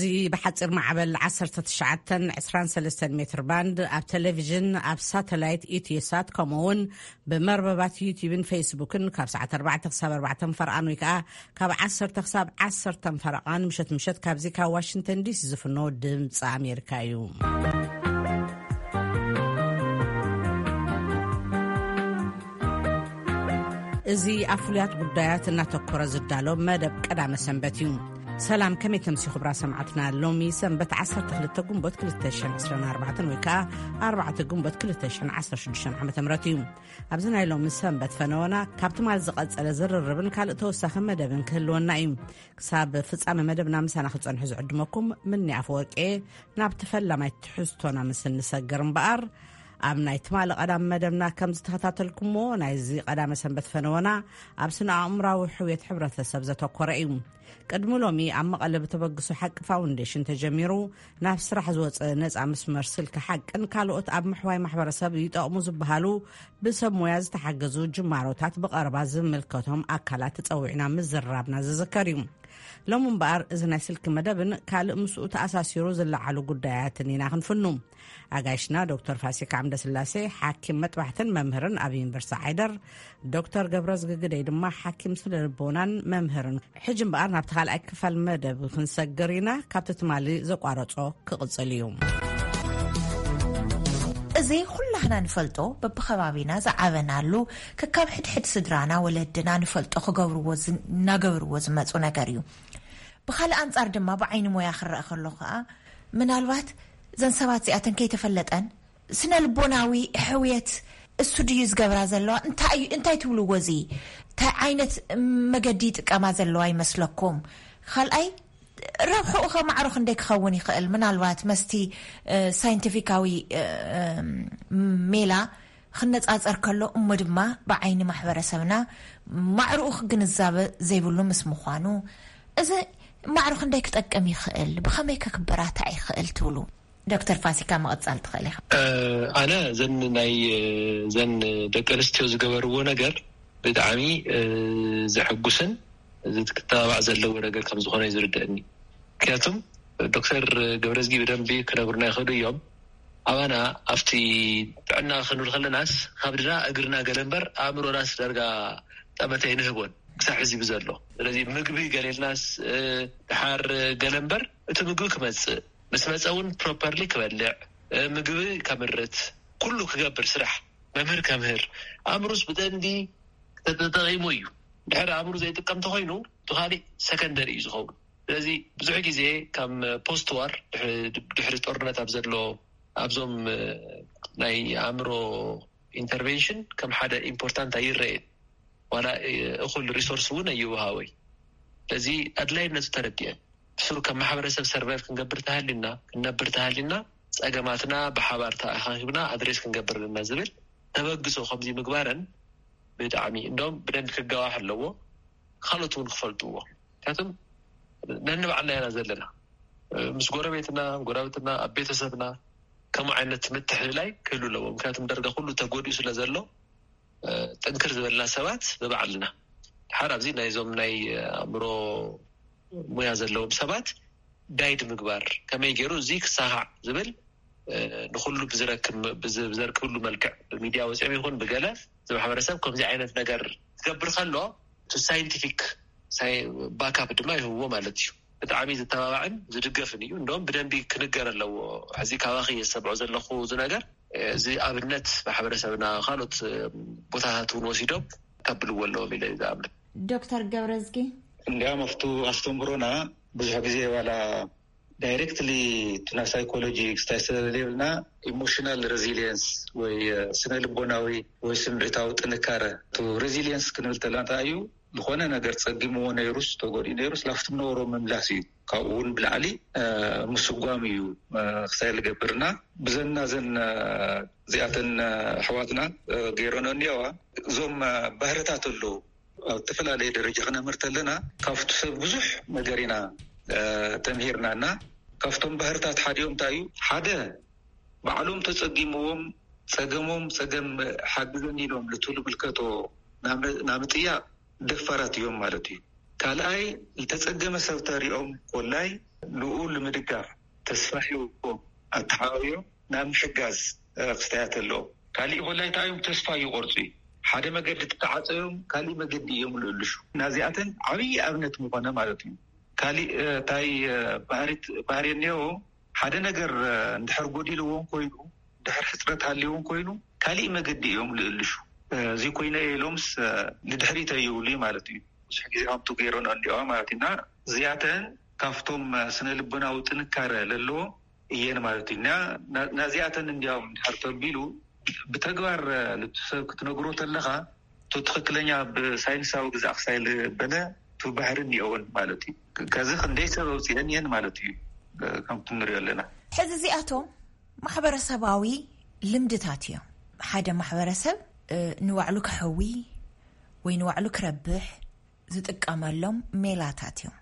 እዚ ብሓፂር ማዕበል ዓሰርተ ትሽዓተ ዕስራን ሰለስተን ሜትር ባንድ፣ ኣብ ቴሌቪዥን፣ ኣብ ሳተላይት ኢትዮሳት፣ ከምኡ እውን ብመርበባት ዩቲዩብን ፌስቡክን ካብ ሰዓት ኣርባዕተ ክሳብ ኣርባዕተ ፈርቓን ወይ ከዓ ካብ ዓሰርተ ክሳብ ዓሰርተ ፈርቓን ምሸት ምሸት ካብዚ ካብ ዋሽንግተን ዲሲ ዝፍኖ ድምፂ ኣሜሪካ እዩ። እዚ ኣብ ፍሉያት ጉዳያት እናተኮረ ዝዳሎ መደብ ቀዳመ ሰንበት እዩ። ሰላም፣ ከመይ ተምሲ ክቡራ ሰማዕትና? ሎሚ ሰንበት ዓሰርተ ክልተ ጉንቦት ክልተ ሽሕን ዕስራን ኣርባዕተን ወይ ከዓ ኣርባዕተ ጉንቦት ክልተ ሽሕን ዓሰርተ ሽዱሽተን ዓመተ ምህረት እዩ። ኣብዚ ናይ ሎሚ ሰንበት ፈነወና ካብ ትማል ዝቐጸለ ዝርርብን ካልእ ተወሳኺ መደብን ክህልወና እዩ። ክሳብ ፍጻመ መደብና ምሳና ክጸንሑ ዝዕድመኩም ምኒ ኣፈወርቂ። ናብቲ ፈላማይ ትሕዝቶና ምስ እንሰግር እምበኣር፣ ኣብ ናይ ትማሊ ቀዳም መደብና ከም ዝተኸታተልኩሞ፣ ናይዚ ቀዳመ ሰንበት ፈነወና ኣብ ስነ ኣእምራዊ ሕውየት ሕብረተሰብ ዘተኮረ እዩ። ቅድሚ ሎሚ ኣብ መቐለ ብተበግሶ ሓቂ ፋውንዴሽን ተጀሚሩ ናብ ስራሕ ዝወፀ ነፃ መስመር ስልኪ ሓቅን ካልኦት ኣብ ምሕዋይ ማሕበረሰብ ይጠቕሙ ዝበሃሉ ብሰብ ሞያ ዝተሓገዙ ጅማሮታት ብቐረባ ዝምልከቶም ኣካላት ተፀዊዕና ምዝራብና ዝዝከር እዩ። ሎሚ እምበኣር እዚ ናይ ስልኪ መደብን ካልእ ምስኡ ተኣሳሲሩ ዝለዓሉ ጉዳያትን ኢና ክንፍኑ። ኣጋይሽና ዶክተር ፋሲካ ዓምደስላሴ፣ ሓኪም መጥባሕትን መምህርን ኣብ ዩኒቨርሲቲ ዓይደር፣ ዶክተር ገብረዝጊ ግደይ ድማ ሓኪም ስነ ልቦናን መምህርን። ሕጂ እምበኣር ናብቲ ካልኣይ ክፋል መደብ ክንሰግር ኢና። ካብቲ ትማሊ ዘቋረጾ ክቕጽል እዩ። እዚ ኩላህና ንፈልጦ፣ በብኸባቢና ዝዓበናሉ፣ ከካብ ሕድሕድ ስድራና፣ ወለድና ንፈልጦ ክገብርዎ ዝ-፣ እናገብርዎ ዝመጹ ነገር እዩ። ብኻልእ ኣንጻር ድማ ብዓይኒ ሞያ ክረአ ከሎ ኸኣ፣ ምናልባት እዘን ሰባት እዚኣተን ከይተፈለጠን ስነ ልቦናዊ ሕውየት እሱ ድዩ ዝገብራ ዘለዋ? እንታይ እዩ፣ እንታይ ትብልዎ? እዚ እንታይ ዓይነት መገዲ ይጥቀማ ዘለዋ ይመስለኩም? ካልኣይ፣ ረብሕኡ ኸ ማዕሮ ክንደይ ክኸውን ይኽእል? ምናልባት መስቲ፣ እ፣ ሳይንቲፊካዊ፣ እ፣ እ፣ ሜላ ክነጻጸር ከሎ፣ እሞ ድማ ብዓይኒ ማሕበረሰብና ማዕርኡ ክግንዛበ ዘይብሉ ምስ ምዃኑ፣ እዚ ማዕሮ ክንደይ ክጠቅም ይኽእል? ብኸመይ ከ ክበራታዕ ይኽእል ትብሉ? ዶክተር ፋሲካ፣ ምቕጻል ትኽእል ኢኻ። እ፣ ኣነ ዘን ናይ፣ እ፣ ዘን ደቂ ኣንስትዮ ዝገበርዎ ነገር ብጣዕሚ፣ እ፣ ዘሐጉስን እዚ ክትተባባዕ ዘለዎ ነገር ከም ዝኾነ እዩ ዝርደአኒ። ምክንያቱም ዶክተር ገብረዝጊ ብደንቢ ክነግሩና ይኽእሉ እዮም። ኣባና ኣብቲ ጥዕና ክንብል ከለናስ ካብ ድና እግርና ገለ እምበር ኣእምሮናስ ዳርጋ ጠመተ ኣይንህቦን ክሳብ ሕዚ ብዘሎ። ስለዚ ምግቢ ገሌልናስ፣ እ፣ ድሓር ገለ እምበር እቲ ምግቢ ክመጽእ፣ ምስ መጸ እውን ፕሮፐርሊ ክበልዕ፣ እ፣ ምግቢ ከምርት፣ ኩሉ ክገብር፣ ስራሕ፣ መምህር ከምህር፣ ኣእምሩስ ብደንቢ ተተጠቒሙ እዩ። ድሕሪ ኣእምሩ ዘይጥቀም ተኾይኑ፣ እቲ ካሊእ ሰከንደሪ እዩ ዝኸውን። ስለዚ ብዙሕ ግዜ ከም ፖስት ዋር፣ ድሕሪ፣ ድሕሪ ጦርነት ኣብ ዘሎ፣ ኣብዞም፣ እ፣ ናይ ኣእምሮ ኢንተርቬንሽን ከም ሓደ ኢምፖርታንት ኣይረኤን። ዋላ፣ እ፣ እኹል ሪሶርስ እውን ኣይወሃቦይ። ስለዚ ኣድላይነቱ ተረዲኤ። ብስሩ ከም ማሕበረሰብ ሰርቫይቭ ክንገብር ተሃሊና፣ ክንነብር ተሃሊና፣ ጸገማትና ብሓባር ተኣኻኺብና ኣድሬስ ክንገብር ኣለና ዝብል ተበግሶ ከምዚ ምግባረን ብጣዕሚ፣ እንደውም ብደንቢ ክጋዋሕ ኣለዎ። ካልኦት እውን ክፈልጥዎ። ምክንያቱም ነንባዕልና ኢና ዘለና። ምስ ጎረቤትና፣ ጎረቤትና፣ ኣብ ቤተሰብና ከምኡ ዓይነት ምትሕልላይ ክህሉ ኣለዎ። ምክንያቱም ዳርጋ ኩሉ ተጎዲኡ ስለ ዘሎ፣ እ፣ ጥንክር ዝበልና ሰባት ብባዕልና። ድሓር ኣብዚ ናይዞም ናይ ኣእምሮ ሙያ ዘለዎም ሰባት ጋይድ ምግባር፣ ከመይ ገይሩ እዚ ክሳኻዕ ዝብል፣ እ፣ ንኹሉ ብዝረክብ፣ ብዝ-፣ ብዘርክብሉ መልክዕ፣ ብሚድያ ወፂኦም ይኹን ብገለ፣ እዚ ማሕበረሰብ ከምዚ ዓይነት ነገር ክገብር ከሎ፣ እቲ ሳይንቲፊክ ሳይ-፣ ባካፕ ድማ ይህብዎ ማለት እዩ። ብጣዕሚ ዝተባባዕን ዝድገፍን እዩ። እንደውም ብደንቢ ክንገር ኣለዎ። ሕዚ ካባኺ እየ ዝሰምዖ ዘለኹ እዚ ነገር። እዚ ኣብነት ማሕበረሰብና ካልኦት ቦታታት እውን ወሲዶም ከብልዎ ኣለዎም ኢለ ዝኣምን። ዶክተር ገብረዝጊ? እንዲያም ኣብቱ ኣስተምሮና ብዙሕ ግዜ ዋላ ዳይሬክትሊ እቲ ናይ ሳይኮሎጂ ክስታይ ስለዘይብልና፣ ኢሞሽናል ሬዚሊየንስ ወይ ስነ ልቦናዊ ወይ ስምዒታዊ ጥንካረ፣ እቲ ሬዚሊየንስ ክንብል ተለና እንታይ እዩ? ዝኾነ ነገር ጸጊምዎ ነይሩስ፣ ተጎዲኡ ነይሩስ፣ ላፍቲ ነበሮ ምምላስ እዩ። ካብኡ እውን ብላዕሊ፣ እ፣ ምስጓም እዩ፣ እ፣ ክሳይ ዝገብርና። ብዘና ዘን፣ እ፣ እዚኣተን፣ እ፣ ኣሕዋትና፣ እ፣ ገይረኖ እኒአዋ። እዞም፣ እ፣ ባህርታት ኣለዉ። ኣብ ዝተፈላለየ ደረጃ ክነምህር ተለና፣ ካብቲ ሰብ ብዙሕ ነገር ኢና፣ እ፣ ተምሂርና እና፣ ካብቶም ባህርታት ሓዲኦም እንታይ እዩ? ሓደ፣ ባዕሎም ተጸጊምዎም፣ ጸገሞም ጸገም ሓግዘኒ ኢሎም ልትሉ ምልከቶ ናም-፣ ናምጥያቕ ደፋራት እዮም ማለት እዩ። ካልኣይ፣ ዝተጸገመ ሰብ ተሪኦም ኮላይ ንኡ ንምድጋፍ ተስፋ ሂቦም ኣተሓባቢሮም ናብ ምሕጋዝ ክስታያት ኣለዎም። ካሊእ ኮላይ እንታይ እዮም? ተስፋ ይቆርጹ እዩ። ሓደ መገዲ ተተዓጸዮም ካሊእ መገዲ እዮም ልእልሹ። ናዚኣተን ዓብዪ ኣብነት ምኾነ ማለት እዩ። ካሊእ እንታይ ባህሪ እኒኦ? ሓደ ነገር እንድሕር ጎዲልዎም ኮይኑ፣ ድሕር ሕፅረት ሃልይዎም ኮይኑ፣ ካሊእ መገዲ እዮም ልእልሹ። እዚ ኮይነ ኢሎምስ ንድሕሪት ኣይብሉ ማለት እዩ። ብዙሕ ግዜ ከምቱ ገይረን እንዲዋ ማለት እዩ። እና እዚኣተን ካብቶም ስነ ልቦናዊ ጥንካረ ለለዎ እየን ማለት እዩ። ናዚኣተን እንዲያውም ድሕር ተቢሉ ብተግባር ልቱ ሰብ ክትነግሮ ተለኻ፣ ቱ ትኽክለኛ ብሳይንሳዊ ግዛእ ክሳይ ልበለ ቱ ባህሪ እኒኦውን ማለት እዩ። ከዚ ክንደይ ሰብ ኣውፅአን እየን ማለት እዩ። ከምቲ ንሪኦ ኣለና። ሕዚ እዚኣቶም ማሕበረሰባዊ ልምድታት እዮም። ሓደ ማሕበረሰብ ንባዕሉ ክሕዊ ወይ ንባዕሉ ክረብሕ ዝጥቀመሎም ሜላታት እዮም።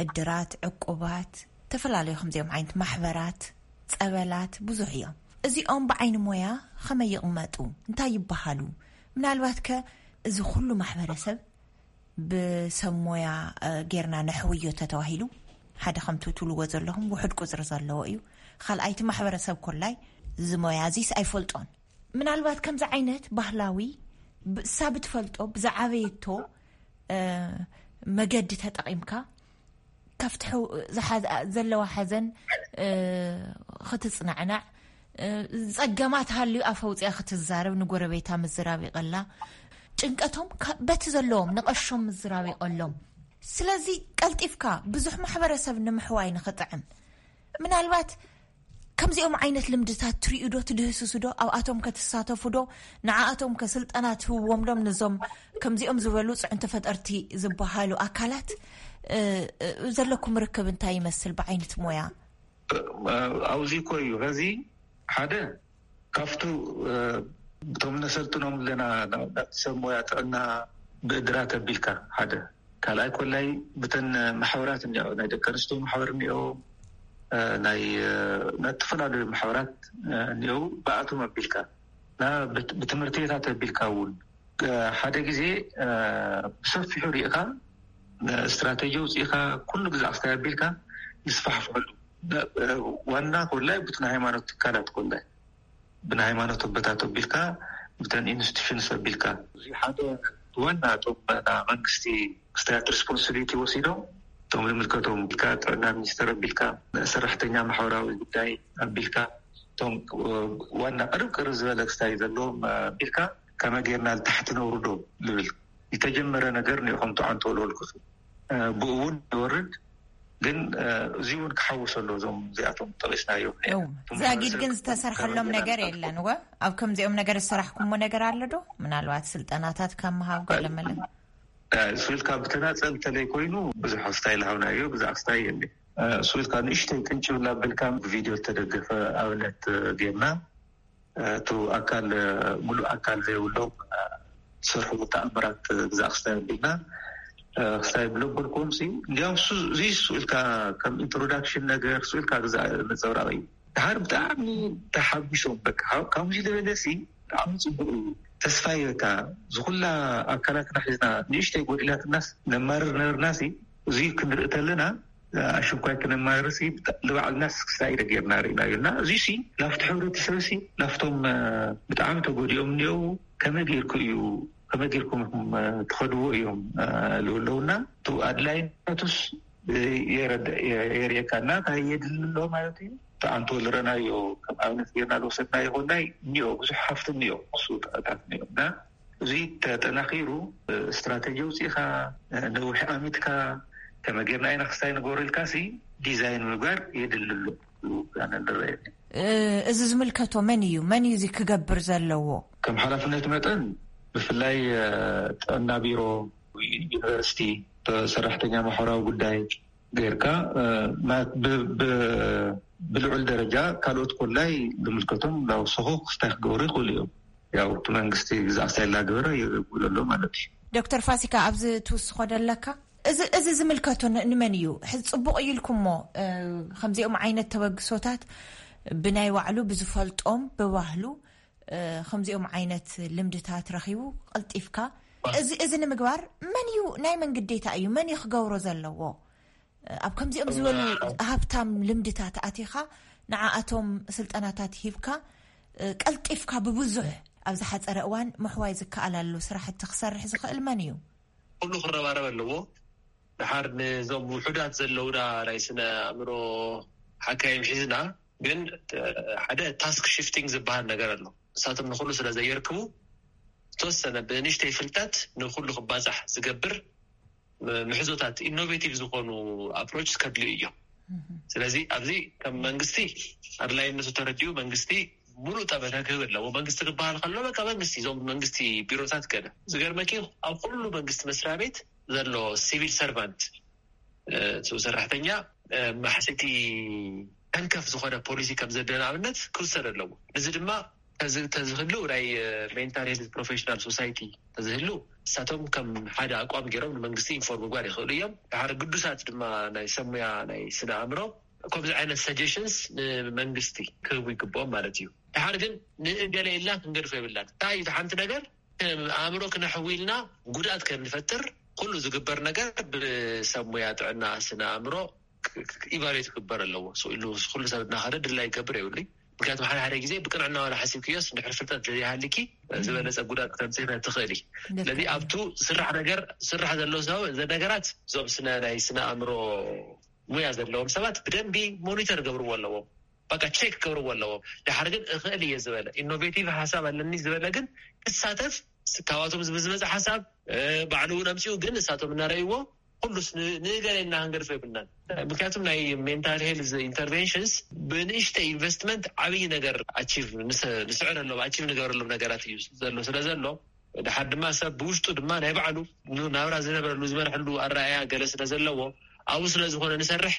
እድራት፣ ዕቁባት፣ ዝተፈላለዩ ከምዚኦም ዓይነት ማሕበራት፣ ጸበላት ብዙሕ እዮም። እዚኦም ብዓይኒ ሞያ ከመይ ይቕመጡ? እንታይ ይበሃሉ? ምናልባት ከ እዚ ኩሉ ማሕበረሰብ ብሰብ ሞያ ጌርና ነሕውዮ ተተባሂሉ፣ ሓደ ከምቲ ትብልዎ ዘለኹም ውሑድ ቁፅሪ ዘለዎ እዩ። ካልኣይቲ ማሕበረሰብ ኮላይ እዚ ሞያ እዚስ ኣይፈልጦን። ምናልባት ከምዚ ዓይነት ባህላዊ ብእሳ ብትፈልጦ ብዝዓበየቶ መገዲ ተጠቒምካ ካብቲ ዘለዋ ሓዘን ክትጽናዕናዕ፣ ጸገማት ሃልዩ ኣፈውፅያ ክትዛረብ፣ ንጎረቤታ ምዝራብ ይቐላ። ጭንቀቶም በቲ ዘለዎም ንቐሾም ምዝራብ ይቐሎም። ስለዚ ቀልጢፍካ ብዙሕ ማሕበረሰብ ንምሕዋይ ንኽጥዕም፣ ምናልባት ከምዚኦም ዓይነት ልምድታት ትሪኡ ዶ፣ ትድህስሱ ዶ? ኣብኣቶም ከ ትሳተፉ ዶ? ንዓኣቶም ከ ስልጠና ትህብዎም ዶም? ነዞም ከምዚኦም ዝበሉ ፅዕንቶ ፈጠርቲ ዝበሃሉ ኣካላት ዘለኩም ርክብ እንታይ ይመስል ብዓይነት ሞያ? ኣብዚ እኮ እዩ። ከዚ ሓደ ካብቱ እቶም ነሰልጥኖም ኣለና ናብቲ ሰብ ሞያ ጥዕና ብእድራት ኣቢልካ ሓደ ካልኣይ ኮላይ ብተን ማሕበራት እኒኦ፣ ናይ ደቂ ኣንስትዮ ማሕበር እኒኦ፣ ናይ ናይ ዝተፈላለዩ ማሕበራት እኒኦ፣ ብኣቶም ኣቢልካ እና ብትምህርቲ ቤታት ኣቢልካ እውን ሓደ ግዜ ብሰፊሑ ሪእኻ ስትራቴጂ ውፅኢኻ ኩሉ ግዛዕ ክስታይ ኣቢልካ ይስፋሕፍሐሉ። ዋና ኮላይ ብቲ ናይ ሃይማኖት ትካላት ኮላይ ብናይ ሃይማኖት ኣቦታት ኣቢልካ ብተን ኢንስቲቱሽንስ ኣቢልካ እዚ ሓደ ዋና እቶም ና መንግስቲ ክስታያት ሪስፖንሲቢሊቲ ወሲዶም እቶም ዝምልከቶም ኣቢልካ ጥዕና ሚኒስተር ኣቢልካ ሰራሕተኛ ማሕበራዊ ጉዳይ ኣቢልካ እቶም ዋና ቅርብ ቅርብ ዝበለ ክስታይ ዘለዎም ኣቢልካ ከመይ ጌርና ልታሕቲ ነውርዶ ልብል ዝተጀመረ ነገር ንኢኹም ተዓንቶ ልበልኩ ብኡ እውን ይወርድ ግን እዚ እውን ክሓውስ ኣሎ እዞም እዚኣቶም ጠቂስናዮም ዛጊድ ግን ዝተሰርሐሎም ነገር የለን ወ ኣብ ከምዚኦም ነገር ዝሰራሕኩሞ ነገር ኣሎ ዶ ምናልባት ስልጠናታት ካብ ምሃብ ገለመለ ስልካ ብተናፀል ተለይ ኮይኑ ብዙሕ ክስታይ ልሃብናዮ ብዛዕ ክስታይ የለ ስልካ ንእሽተይ ቅንጭብላ ብልካ ብቪድዮ ዝተደገፈ ኣብነት ጌርና እቲ ኣካል ሙሉእ ኣካል ዘይብሎም ዝሰርሕዎ ተኣምራት ግዛእ ክስታይ ኣቢልና ክስታይ ብለበልኩም ሲ እንዲያውም እዚ ስኢልካ ከም ኢንትሮዳክሽን ነገር ስኢልካ ግዛእ ነፀብራቕ እዩ ድሓር ብጣዕሚ ተሓጒሶም በቃ ካብዚ ዝበለ ሲ ብጣዕሚ ፅቡቅ እዩ ተስፋ ይበካ ዝኩላ ኣካላትና ሒዝና ንእሽተይ ጎዲላትናስ ነማርር ነበርና ሲ እዚ ክንርኢ ተለና ኣሽንኳይ ክነማርር ሲ ንባዕልና ስክስታይ ጌርና ርእናዮ እና እዚ ሲ ላፍቲ ሕብረተሰብ ሲ ላፍቶም ብጣዕሚ ተጎዲኦም እኒኦ ከመይ ጌርኩ እዩ ከመይ ጌርኩም ትኸድዎ እዮም ልብለውና ቱ ኣድላይነቱስ የርየካ እና እንታይ የድሊ ኣሎ ማለት እዩ ተኣንቶ ዝረናዮ ከም ኣብነት ጌርና ዝወሰድናዮ ኮናይ እኒኦ ብዙሕ ሃፍቲ እኒኦ ክሱ ጥዕታት እኒኦ እና እዚ ተጠናኺሩ ስትራተጂ ኣውፂእኻ ነዊሕ ኣሚትካ ከመይ ጌርና ኢና ክስታይ ንገብሮ ኢልካ ሲ ዲዛይን ምግባር የድሊ ኣሎ ኣነ ዝረኣየኒ እዚ ዝምልከቶ መን እዩ መን እዩ እዚ ክገብር ዘለዎ ከም ሓላፍነት መጠን ብፍላይ ጥዕና ቢሮ ዩኒቨርሲቲ ሰራሕተኛ ማሕበራዊ ጉዳይ ጌርካ ብልዑል ደረጃ ካልኦት ኮላይ ዝምልከቶም ላውሰኹ ክስታይ ክገብሩ ይኽእሉ እዮም ያው እቲ መንግስቲ ግዛዕ ክስታይ ላገበረ ይብሎ ኣሎ ማለት እዩ ዶክተር ፋሲካ ኣብዚ ትውስኾ ደለካ እዚ እዚ ዝምልከቶ ንመን እዩ ሕዚ ፅቡቅ እዩ ኢልኩሞ ከምዚኦም ዓይነት ተበግሶታት ብናይ ባዕሉ ብዝፈልጦም ብባህሉ ከምዚኦም ዓይነት ልምድታት ረኺቡ ቀልጢፍካ እዚ እዚ ንምግባር መን እዩ ናይ መን ግዴታ እዩ? መን እዩ ክገብሮ ዘለዎ? ኣብ ከምዚኦም ዝበሉ ሃብታም ልምድታት ኣቲኻ ንዓኣቶም ስልጠናታት ሂብካ ቀልጢፍካ ብብዙሕ ኣብ ዝሓፀረ እዋን ምሕዋይ ዝከኣላሉ ስራሕቲ ክሰርሕ ዝኽእል መን እዩ? ኩሉ ክረባረብ ኣለዎ። ድሓር ንዞም ውሑዳት ዘለውና ናይ ስነ ኣእምሮ ሓካይም ሒዝና ግን ሓደ ታስክ ሽፍቲንግ ዝበሃል ነገር ኣሎ። ንሳቶም ንኩሉ ስለ ዘየርክቡ ዝተወሰነ ብንእሽተይ ፍልጠት ንኩሉ ክባፃሕ ዝገብር ምሕዞታት ኢኖቬቲቭ ዝኾኑ ኣፕሮች ከድልዩ እዮም። ስለዚ ኣብዚ ከም መንግስቲ ኣድላይነቱ ተረዲኡ መንግስቲ ሙሉእ ጠመተ ክህብ ኣለዎ። መንግስቲ ክበሃል ከሎ በቃ መንግስቲ እዞም መንግስቲ ቢሮታት ገለ ዝገርመኪ ኣብ ኩሉ መንግስቲ መስሪያ ቤት ዘሎ ሲቪል ሰርቫንት ሰራሕተኛ ማሕሰይቲ ተንከፍ ዝኾነ ፖሊሲ ከም ዘለ ንኣብነት ክውሰድ ኣለዎ። እዚ ድማ ተዝህሉ ናይ ሜንታል ሄልት ፕሮፌሽናል ሶሳይቲ ተዝህሉ እሳቶም ከም ሓደ ኣቋም ገይሮም ንመንግስቲ ኢንፎርም ምግባር ይኽእሉ እዮም። ድሓር ግዱሳት ድማ ናይ ሰሙያ ናይ ስነ ኣእምሮ ከምዚ ዓይነት ሰጀሽንስ ንመንግስቲ ክህቡ ይግብኦም ማለት እዩ። ድሓር ግን ንእገለ ኢልና ክንገድፎ የብላን። እንታይ እዩ ሓንቲ ነገር ኣእምሮ ክነሕዊ ኢልና ጉድኣት ከንፈጥር ኩሉ ዝግበር ነገር ብሰሙያ ጥዕና ስነ ኣእምሮ ኢቫሉዌት ክግበር ኣለዎ። ኢሉ ኩሉ ሰብ እናኸደ ድላ ይገብር የብሉይ። ምክንያቱ ሓደ ሓደ ግዜ ብቅንዕና ዋላ ሓሲብክዮስ እንድሕር ፍልጠት ዘይሃልኪ ዝበለፀ ጉዳት ክተምፅእ ትኽእል። ስለዚ ኣብቱ ስራሕ ነገር ስራሕ ዘሎ ሰብ ዘ ነገራት እዞም ስነ ናይ ስነ ኣእምሮ ሙያ ዘለዎም ሰባት ብደንቢ ሞኒተር ገብርዎ ኣለዎም። በቃ ቼክ ክገብርዎ ኣለዎም። ድሓር ግን እኽእል እየ ዝበለ ኢኖቬቲቭ ሓሳብ ኣለኒ ዝበለ ግን ክሳተፍ ካባቶም ዝመፀ ሓሳብ ባዕሉ እውን ኣምፅኡ ግን እሳቶም እናረእይዎ ኩሉስ ንገሌና ክንገድፎ የብልናን። ምክንያቱም ናይ ሜንታል ሄልዝ ኢንተርቨንሽንስ ብንእሽተ ኢንቨስትመንት ዓብይ ነገር ኣቺቭ ንስዕረሎም ኣቺቭ ንገበረሎም ነገራት እዩ ዘሎ ስለ ዘሎ ድሓር ድማ ሰብ ብውሽጡ ድማ ናይ ባዕሉ ናብራ ዝነበረሉ ዝመርሐሉ ኣረኣያ ገለ ስለ ዘለዎ ኣብኡ ስለ ዝኾነ ንሰርሕ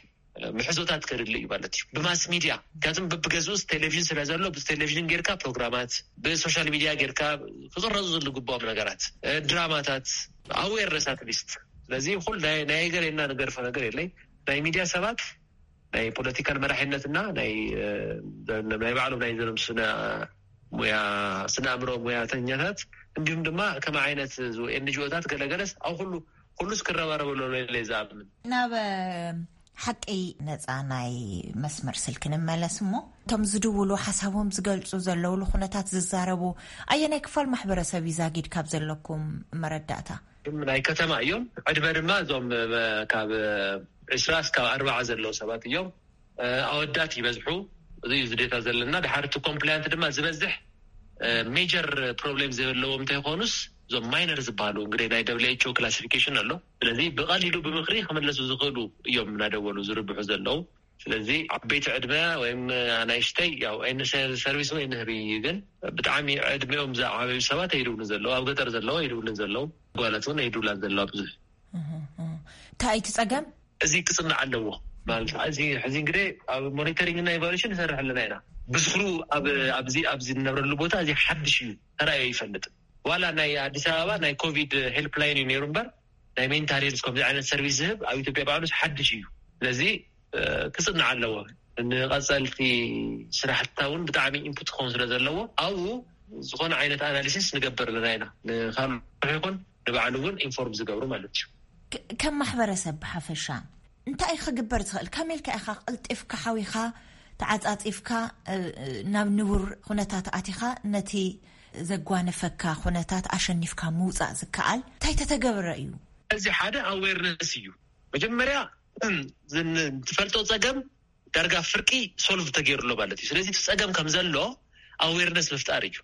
ምሕዞታት ከድሊ እዩ ማለት እዩ። ብማስ ሚድያ ምክንያቱም ብብገዝኡስ ቴሌቪዥን ስለ ዘሎ ብቴሌቪዥን ጌርካ ፕሮግራማት ብሶሻል ሚድያ ጌርካ ክቅረፁ ዝግባኦም ነገራት ድራማታት ኣዌርነስ ኣትሊስት ስለዚ ኩል ናይ ገሌና ንገርፎ ነገር የለይ። ናይ ሚድያ ሰባት ናይ ፖለቲካል መራሒነትና ናይ ባዕሎም ናይ ዘሎም ስነ ሙያ ስነ ኣእምሮ ሙያተኛታት እንዲሁም ድማ ከም ዓይነት ኤንጂኦታት ገለገለስ ኣብ ኩሉ ኩሉስ ክረባረበሉ ለ ዝኣምን። ናብ ሓቂ ነፃ ናይ መስመር ስልኪ ንመለስ እሞ እቶም ዝድውሉ ሓሳቦም ዝገልፁ ዘለውሉ ኩነታት ዝዛረቡ ኣየናይ ክፋል ማሕበረሰብ እዩ ዛጊድ ካብ ዘለኩም መረዳእታ? ናይ ከተማ እዮም። ዕድመ ድማ እዞም ካብ ዕስራ እስካብ ኣርባዓ ዘለዉ ሰባት እዮም። ኣወዳት ይበዝሑ። እዚ እዩ ዝዴታ ዘለና። ድሓርቲ ኮምፕላያንት ድማ ዝበዝሕ ሜጀር ፕሮብሌም ዘለዎም እንተይኮኑስ እዞም ማይነር ዝበሃሉ እንግዲህ ናይ ደብሊው ኤች ኦ ክላሲፊኬሽን ኣሎ። ስለዚ ብቐሊሉ ብምክሪ ክምለሱ ዝኽእሉ እዮም እናደወሉ ዝርብሑ ዘለዉ። ስለዚ ዓበይቲ ዕድመ ወይም ኣናይሽተይ ያው ሰርቪስ ወይ ንህቢ ግን ብጣዕሚ ዕድሜኦም ዝዓበዩ ሰባት ኣይድውሉ ዘለዉ ኣብ ገጠር ዘለዉ ኣይድውሉ ዘለዉ ጓላት እውን ኣይድውላ ዘለዋ ብዙሕ። እንታይ እቲ ጸገም? እዚ ክጽናዕ ኣለዎ ማለት እዚ ሕዚ እንግዲህ ኣብ ሞኒተሪንግ እና ኢቫሉሽን ንሰርሕ ኣለና ኢና። ብስሩ ኣብዚ ኣብዚ ንነብረሉ ቦታ እዚ ሓድሽ እዩ ተራእዮ ይፈልጥ ዋላ ናይ ኣዲስ ኣበባ ናይ ኮቪድ ሄልፕ ላይን እዩ ነይሩ እምበር ናይ ሜንታል ሄልስ ከምዚ ዓይነት ሰርቪስ ዝህብ ኣብ ኢትዮጵያ ባዕሉስ ሓድሽ እዩ። ስለዚ ክፅናዕ ኣለዎ። ንቐፀልቲ ስራሕትታ እውን ብጣዕሚ ኢንፑት ክኸውን ስለ ዘለዎ ኣብኡ ዝኾነ ዓይነት ኣናሊሲስ ንገብር ኣለና ኢና። ንካልእ ይኹን ንባዕሉ እውን ኢንፎርም ዝገብሩ ማለት እዩ። ከም ማሕበረሰብ ብሓፈሻ እንታይ ክግበር ዝኽእል? ከመይ ኢልካ ኢኻ ቅልጢፍካ ሓዊኻ ተዓፃፂፍካ ናብ ንቡር ኩነታት ኣቲኻ ነቲ ዘጓነፈካ ኩነታት ኣሸኒፍካ ምውፃእ ዝከኣል እንታይ ተተገብረ እዩ? እዚ ሓደ ኣዌርነስ እዩ። መጀመርያ ትፈልጦ ፀገም ዳርጋ ፍርቂ ሶልቭ ተገይሩ ኣሎ ማለት እዩ። ስለዚ እቲ ፀገም ከም ዘሎ ኣዌርነስ ምፍጣር እዩ።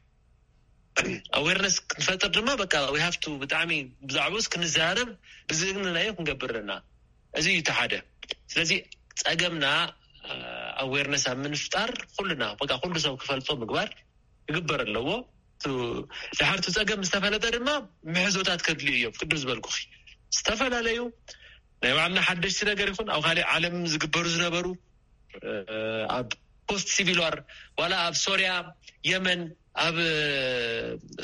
ኣዌርነስ ክንፈጥር ድማ በቃ we have to ብጣዕሚ ብዛዕባኡስ ክንዘራረብ ብዝእግንናዮ ክንገብር ኣለና። እዚ እዩ እቲ ሓደ። ስለዚ ፀገምና ኣዌርነስ ኣብ ምንፍጣር ኩልና በቃ ኩሉ ሰብ ክፈልጦ ምግባር ክግበር ኣለዎ። ድሓር እቲ ፀገም ዝተፈለጠ ድማ ምሕዞታት ከድልዩ እዮም። ቅድም ዝበልኩኺ ዝተፈላለዩ ናይ ባዕልና ሓደሽቲ ነገር ይኹን ኣብ ካሊእ ዓለም ዝግበሩ ዝነበሩ ኣብ ፖስት ሲቪል ዋር ዋላ ኣብ ሶርያ፣ የመን፣ ኣብ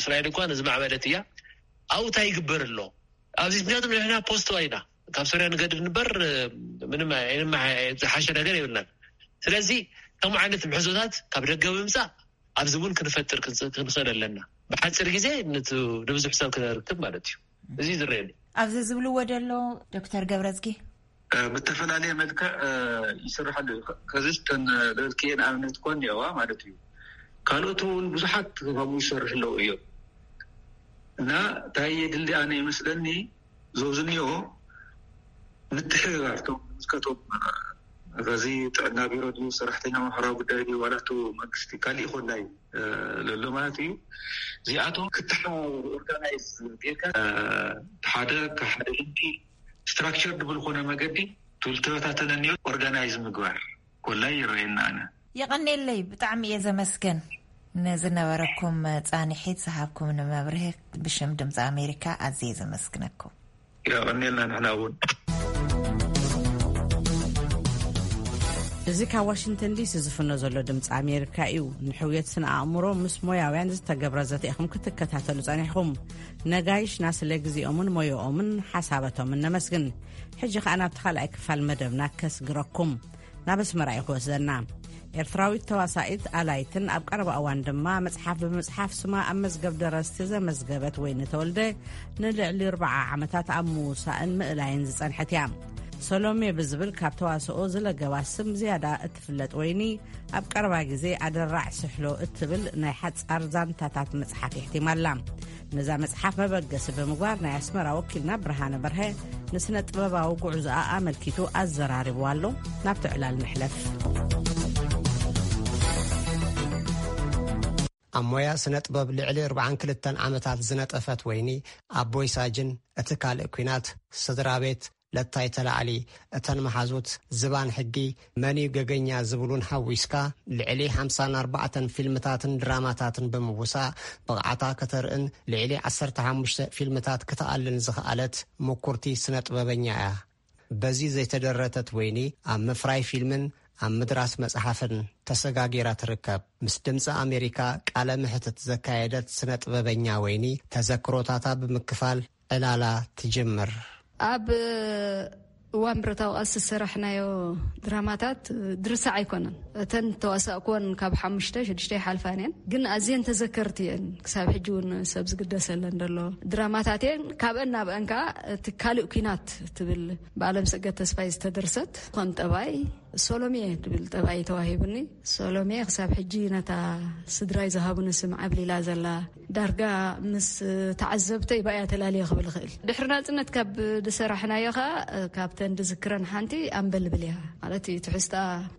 እስራኤል እንኳን ዝማዕበለት እያ። ኣብኡ እንታይ ይግበር ኣሎ ኣብዚ ምክንያቱ ንሕና ፖስት ዋይና ካብ ሶርያ ንገድድ ንበር ምንም ዝሓሸ ነገር የብልናን። ስለዚ ከምኡ ዓይነት ምሕዞታት ካብ ደገ ብምምፃእ ኣብዚ እውን ክንፈጥር ክንስ- ክንኽእል ኣለና። ብሓፂር ግዜ ነት- ንብዙሕ ሰብ ክነርክብ ማለት እዩ። እዚ ዝረአየኒ። ኣብዚ ዝብልዎ ዘሎ ዶክተር ገብረዝጊ? ብተፈላለየ መልክዕ ይስርሐሉ እዩ። ከዚስ ተን ልብልክየ ንኣብነት ኮን እዋ ማለት እዩ። ካልኦት እውን ብዙሓት ከምኡ ይሰርሑ ኣለዉ እዮም። እና እንታይ የድሊ ኣነ ይመስለኒ፣ ዞብዝኒኦ ምትሕብባር ቶም ዝምልከቶም፣ እዚ ጥዕና ቢሮ ድዩ፣ ሰራሕተኛ ማሕበራዊ ጉዳይ ድዩ፣ ዋላ እቲ መንግስቲ ካሊእ ኮላይ ለሎ ማለት እዩ። እዚኣቶም ክተሓባበሩ ኦርጋናይዝ ጌርካ፣ ሓደ ካብ ሓደ ልምዲ ስትራክቸር ብዝኾነ መገዲ ትብልተበታተነ ኒዮ ኦርጋናይዝ ምግባር ኮላይ ይረአየና ኣነ። የቐኔለይ፣ ብጣዕሚ እየ ዘመስገን። ንዝነበረኩም ጻንሒት ዝሃብኩም ንመብርህ ብሽም ድምፂ ኣሜሪካ ኣዝየ ዘመስግነኩም። የቐኔልና ንሕና እውን። እዚ ካብ ዋሽንግተን ዲሲ ዝፍኖ ዘሎ ድምፂ ኣሜሪካ እዩ። ንሕውየት ስነ ኣእምሮ ምስ ሞያውያን ዝተገብረ ዘተ ኢኹም ክትከታተሉ ጸኒሕኹም። ነጋይሽና ስለ ግዜኦምን ሞያኦምን ሓሳባቶምን ነመስግን። ሕጂ ከኣ ናብቲ ካልኣይ ክፋል መደብና ከስግረኩም። ናብ ኣስመራ እዩ ክወስደና። ኤርትራዊት ተዋሳኢት ኣላይትን ኣብ ቀረባ እዋን ድማ መጽሓፍ ብምጽሓፍ ስማ ኣብ መዝገብ ደረስቲ ዘመዝገበት ወይኒ ተወልደ ንልዕሊ ኣርብዓ ዓመታት ኣብ ምውሳእን ምእላይን ዝጸንሐት እያ። ሰሎሜ ብዝብል ካብ ተዋስኦ ዝለገባ ስም ዝያዳ እትፍለጥ ወይኒ፣ ኣብ ቀረባ ግዜ ኣደራዕ ስሕሎ እትብል ናይ ሓጻር ዛንታታት መጽሓፍ የሕቲማ ኣላ። ነዛ መጽሓፍ መበገሲ ብምግባር ናይ ኣስመራ ወኪልና ብርሃነ በርሀ ንስነ ጥበባዊ ጉዕዞኣ ኣመልኪቱ ኣዘራሪብዋ ኣሎ። ናብቲ ዕላል ንሕለፍ። ኣብ ሞያ ስነ ጥበብ ልዕሊ ኣርብዓን ክልተን ዓመታት ዝነጠፈት ወይኒ፣ ኣቦይ ሳጅን፣ እቲ ካልእ ኲናት፣ ስድራ ቤት፣ ለታይ ተላዕሊ፣ እተን መሓዙት፣ ዝባን ሕጊ፣ መን እዩ ገገኛ ዝብሉን ሓዊስካ ልዕሊ ሓምሳን ኣርባዕተን ፊልምታትን ድራማታትን ብምውሳእ ብቕዓታ ከተርእን ልዕሊ ዓሰርተ ሓሙሽተ ፊልምታት ክትኣልን ዝኸኣለት ምኩርቲ ስነ ጥበበኛ እያ። በዚ ዘይተደረተት ወይኒ ኣብ ምፍራይ ፊልምን ኣብ ምድራስ መጽሓፍን ተሰጋጊራ ትርከብ። ምስ ድምፂ ኣሜሪካ ቃለ ምሕትት ዘካየደት ስነ ጥበበኛ ወይኒ ተዘክሮታታ ብምክፋል ዕላላ ትጅምር። ኣብ እዋን ብረታዊ ቃልሲ ዝሰራሕናዮ ድራማታት ድርሳዕ ኣይኮነን። እተን ተዋሳእኩወን ካብ ሓሙሽተ ሽዱሽተ ይሓልፋን እየን፣ ግን ኣዝየን ተዘከርቲ እየን። ክሳብ ሕጂ እውን ሰብ ዝግደሰለን ዘሎ ድራማታት እየን። ካብአን ናብአን ከዓ እቲ ካልእ ኲናት ትብል ብኣለም ሰገድ ተስፋይ ዝተደርሰት ኮን ጠባይ ሶሎሜ ትብል ጠባይ ተዋሂቡኒ። ሶሎሜ ክሳብ ሕጂ ነታ ስድራይ ዝሃቡኒ ስም ዓብሊላ ዘላ፣ ዳርጋ ምስ ተዓዘብተይ ባእያ ተላልየ ክብል ይኽእል። ድሕሪ ናጽነት ካብ ዝሰራሕናዮ ኸኣ ካብተን ዝዝክረን ሓንቲ ኣምበልብል እያ። ማለት እዩ ትሕዝታ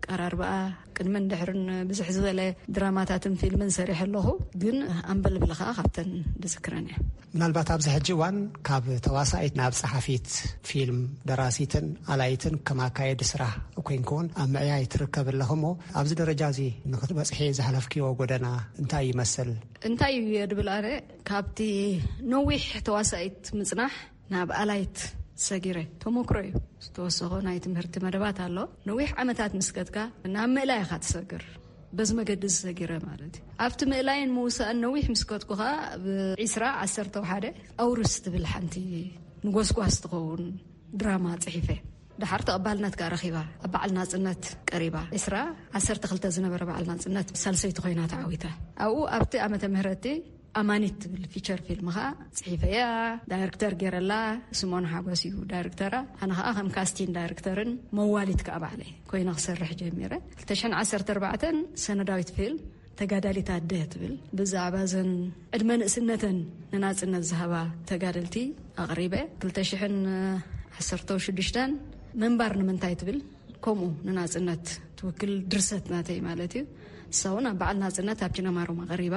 ቀራርባኣ ቅድምን ድሕርን ብዝሕ ዝበለ ድራማታትን ፊልምን ሰሪሐ ኣለኹ፣ ግን ኣምበልብል ኸኣ ካብተን ዝዝክረን እያ። ምናልባት ኣብዚ ሕጂ እዋን ካብ ተዋሳኢት ናብ ጸሓፊት ፊልም፣ ደራሲትን ኣላይትን ከም ኣካየዲ ስራሕ ኮይንክውን ኣብ ምዕያይ ትርከብ ኣለኹ እሞ፣ ኣብዚ ደረጃ እዚ ንክትበጽሒ ዝሓለፍክዎ ጎደና እንታይ ይመስል? እንታይ እዩ እየ ድብል ኣነ፣ ካብቲ ነዊሕ ተዋሳኢት ምጽናሕ ናብ ኣላይት ሰጊረ፣ ተሞክሮ እዩ። ዝተወሰኾ ናይ ትምህርቲ መደባት ኣሎ። ነዊሕ ዓመታት ምስ ከድካ ናብ ምእላይ ኢኻ ትሰግር። በዚ መገዲ እዚ ሰጊረ ማለት እዩ። ኣብቲ ምእላይን ምውሳእን ነዊሕ ምስ ከድኩ ኸኣ፣ ብ ዒስራ ዓሰርተ ሓደ ኣውርስ ትብል ሓንቲ ንጎስጓስ ትኸውን ድራማ ጽሒፈ። ደሓር ተቐባልነት ከኣ ረኺባ። ኣብ በዓል ናጽነት ቀሪባ። ዒስራ ዓሰርተ ክልተ ዝነበረ በዓል ናጽነት ሳልሰይቲ ኮይና ተዓዊታ። ኣብኡ ኣብቲ ዓመተ ምህረቲ ኣማኒት ትብል ፊቸር ፊልም ኸኣ ጽሒፈያ። ዳይሬክተር ገይረላ ስምኦን ሓጎስ እዩ ዳይሬክተራ። ኣነ ኸኣ ከም ካስቲን ዳይሬክተርን መዋሊት ከኣ ባዕለይ ኮይነ ክሰርሕ ጀሚረ። ክልተ ሽሕን ዓሰርተ ኣርባዕተን ሰነዳዊት ፊልም ተጋዳሊት ኣደ ትብል ብዛዕባ ዘን ዕድመ ንእስነተን ንናጽነት ዝሃባ ተጋደልቲ ኣቕሪበ። ክልተ ሽሕን ዓሰርተ ሽዱሽተን ምንባር ንምንታይ ትብል ከምኡ ንናጽነት ትውክል ድርሰት ናተይ ማለት እዩ። እሳ እውን ኣብ በዓል ናጽነት ኣብ ጅነማሮም ኣቕሪባ።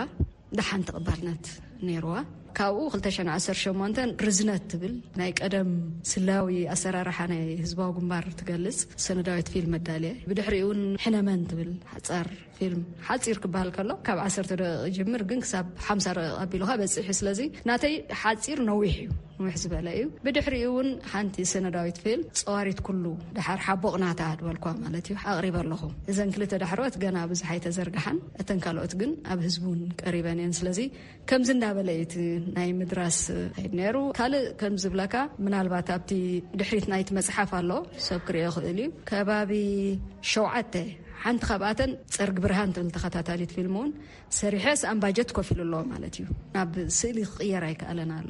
ደሓን ተቐባልነት ነይርዋ። ካብኡ ክልተ ሽሕን ዓሰርተ ሸሞንተን ርዝነት ትብል ናይ ቀደም ስላዊ ኣሰራርሓ ናይ ህዝባዊ ግንባር ትገልጽ ሰነዳዊት ፊልም መዳልየ። ብድሕሪኡ እውን ሕነመን ትብል ሓጻር ፊልም፣ ሓጺር ክበሃል ከሎ ካብ ዓሰርተ ደቂቕ ይጅምር፣ ግን ክሳብ ሓምሳ ደቂቕ ኣቢሉኻ በጺሕ እዩ። ስለዚ ናተይ ሓጺር ነዊሕ እዩ፣ ነዊሕ ዝበለ እዩ። ብድሕሪኡ እውን ሓንቲ ሰነዳዊት ፊልም ጸዋሪት ኩሉ፣ ደሓር ሓቦቕ ናታ ድበልኳ ማለት እዩ፣ ኣቕሪበ ኣለኹ። እዘን ክልተ ዳሕሮት ገና ብዙሕ ኣይተዘርግሓን፣ እተን ካልኦት ግን ኣብ ህዝቢ እውን ቀሪበን እየን። ስለዚ ከምዚ እንዳበለ እዩ እቲ ናይ ምድራስ ከይድ ነይሩ። ካልእ ከም ዝብለካ፣ ምናልባት ኣብቲ ድሕሪት ናይቲ መጽሓፍ ኣሎ፣ ሰብ ክርእዮ ይኽእል እዩ። ከባቢ ሸውዓተ ሓንቲ ካብኣተን ጸርግ ብርሃን ትብል ተኸታታሊት ፊልም እውን ሰሪሐ፣ ሰኣን ባጀት ኮፍ ኢሉ ኣሎ ማለት እዩ። ናብ ስእሊ ክቕየር ኣይከኣለን ኣሎ።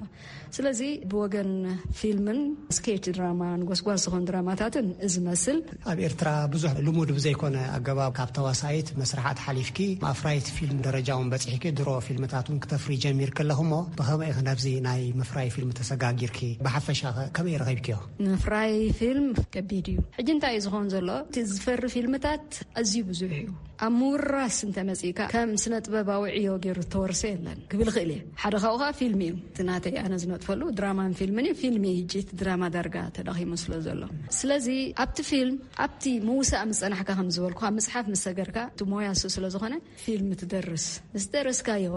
ስለዚ ብወገን ፊልምን ስኬች ድራማን ጎስጓስ ዝኾኑ ድራማታትን እዚ መስል። ኣብ ኤርትራ ብዙሕ ልሙድ ብዘይኮነ ኣገባብ ካብ ተዋሳኢት መስርሓት ሓሊፍኪ ኣፍራይት ፊልም ደረጃ እውን በጺሕኪ፣ ድሮ ፊልምታት እውን ክተፍሪ ጀሚርኪ ኣለኹ። እሞ ብኸመይ ኢኺ ናብዚ ናይ ምፍራይ ፊልም ተሰጋጊርኪ? ብሓፈሻ ኸ ከመይ ረኺብክዮ? ምፍራይ ፊልም ከቢድ እዩ። ሕጂ እንታይ እዩ ዝኾን ዘሎ? እቲ ዝፈሪ ፊልምታት ኣዝዩ ብዙሕ እዩ። ኣብ ምውራስ እንተመጺእካ፣ ከም ስነ ጥበባዊ ዕዮ ገይሩ ዝተወርሰ የለን ክብል እኽእል እየ። ሓደ ካብኡ ኸኣ ፊልም እዩ። እቲ ናተይ ኣነ ዝነጥፈሉ ድራማን ፊልምን እዩ። ፊልም እዩ ሕጂ እቲ ድራማ ዳርጋ ተዳኺሙ ስለ ዘሎ። ስለዚ ኣብቲ ፊልም፣ ኣብቲ ምውሳእ ምስ ጸናሕካ፣ ከም ዝበልኩ፣ ኣብ መጽሓፍ ምስ ሰገርካ፣ እቲ ሞያ እሱ ስለ ዝኾነ፣ ፊልም ትደርስ። ምስ ደረስካዮ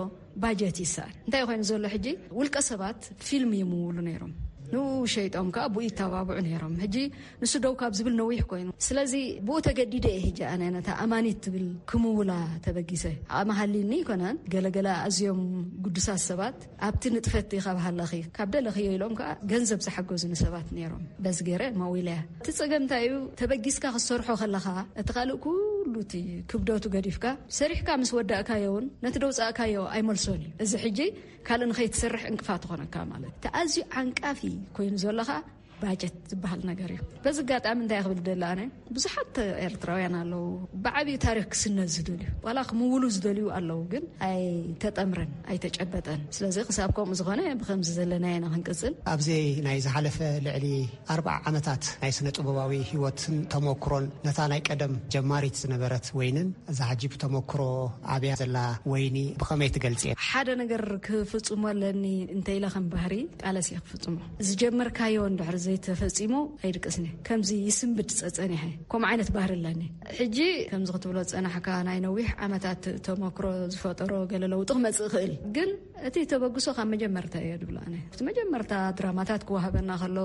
ባጀት ይሰኣል። እንታይ ኮይኑ ዘሎ ሕጂ? ውልቀ ሰባት ፊልም ይምውሉ ነይሮም። ንኡ ሸይጦም ከኣ ብኡ ይተባብዑ ነይሮም። ሕጂ ንሱ ደው ካብ ዝብል ነዊሕ ኮይኑ። ስለዚ ብኡ ተገዲደ እየ ሕጂ ኣነ ነታ ኣማኒት ትብል ክምውላ ተበጊሰ። ዓቕሚ ሃልይኒ ኣይኮነን። ገለገለ ኣዝዮም ግዱሳት ሰባት ኣብቲ ንጥፈት ኢኻ ብሃለኺ፣ ካብ ደለኽዮ ኢሎም ከኣ ገንዘብ ዝሓገዙኒ ሰባት ነይሮም። በዚ ገይረ መዊለያ። እቲ ጸገም እንታይ እዩ? ተበጊስካ ክትሰርሖ ከለኻ፣ እቲ ካልእ ኩሉ እቲ ክብደቱ ገዲፍካ፣ ሰሪሕካ ምስ ወዳእካዮ እውን ነቲ ደውጻእካዮ ኣይመልሶን እዩ። እዚ ሕጂ ካልእ ንኸይትሰርሕ ዕንቅፋት ትኾነካ ማለት እዩ። እቲ ኣዝዩ ዓንቃፊ ኮይኑ ዘለኻ ባጀት ዝበሃል ነገር እዩ። በዚ ኣጋጣሚ እንታይ ክብል ደለ ኣነ፣ ብዙሓት ኤርትራውያን ኣለዉ፣ ብዓብዩ ታሪኽ ክስነድ ዝደልዩ፣ ዋላ ክምውሉ ዝደልዩ ኣለዉ፣ ግን ኣይተጠምረን፣ ኣይተጨበጠን። ስለዚ ክሳብ ከምኡ ዝኾነ ብኸምዚ ዘለና ኢና ክንቅጽል። ኣብዚ ናይ ዝሓለፈ ልዕሊ ኣርብዓ ዓመታት ናይ ስነ ጥበባዊ ህይወትን ተመክሮን፣ ነታ ናይ ቀደም ጀማሪት ዝነበረት ወይንን እዛ ሕጂ ብተመክሮ ዓብያ ዘላ ወይኒ ብኸመይ ትገልጽ? ሓደ ነገር ክፍጽሞ ኣለኒ እንተ ኢለ ከም ባህሪ ቃለስ እየ ክፍጽሞ። ዝጀመርካዮ እንድሕር ዘይተፈጺሙ ኣይድቅስን እየ። ከምዚ ይስንብድ ጸጸኒሐ። ከምኡ ዓይነት ባህሪ ኣለኒ። ሕጂ ከምዚ ክትብሎ ዝጸናሕካ ናይ ነዊሕ ዓመታት ተመክሮ ዝፈጠሮ ገለ ለውጢ ክመጽእ ይኽእል። ግን እቲ ተበግሶ ካብ መጀመርታ እየ ድብሎ ኣነ። እቲ መጀመርታ ድራማታት ክወሃበና ከሎ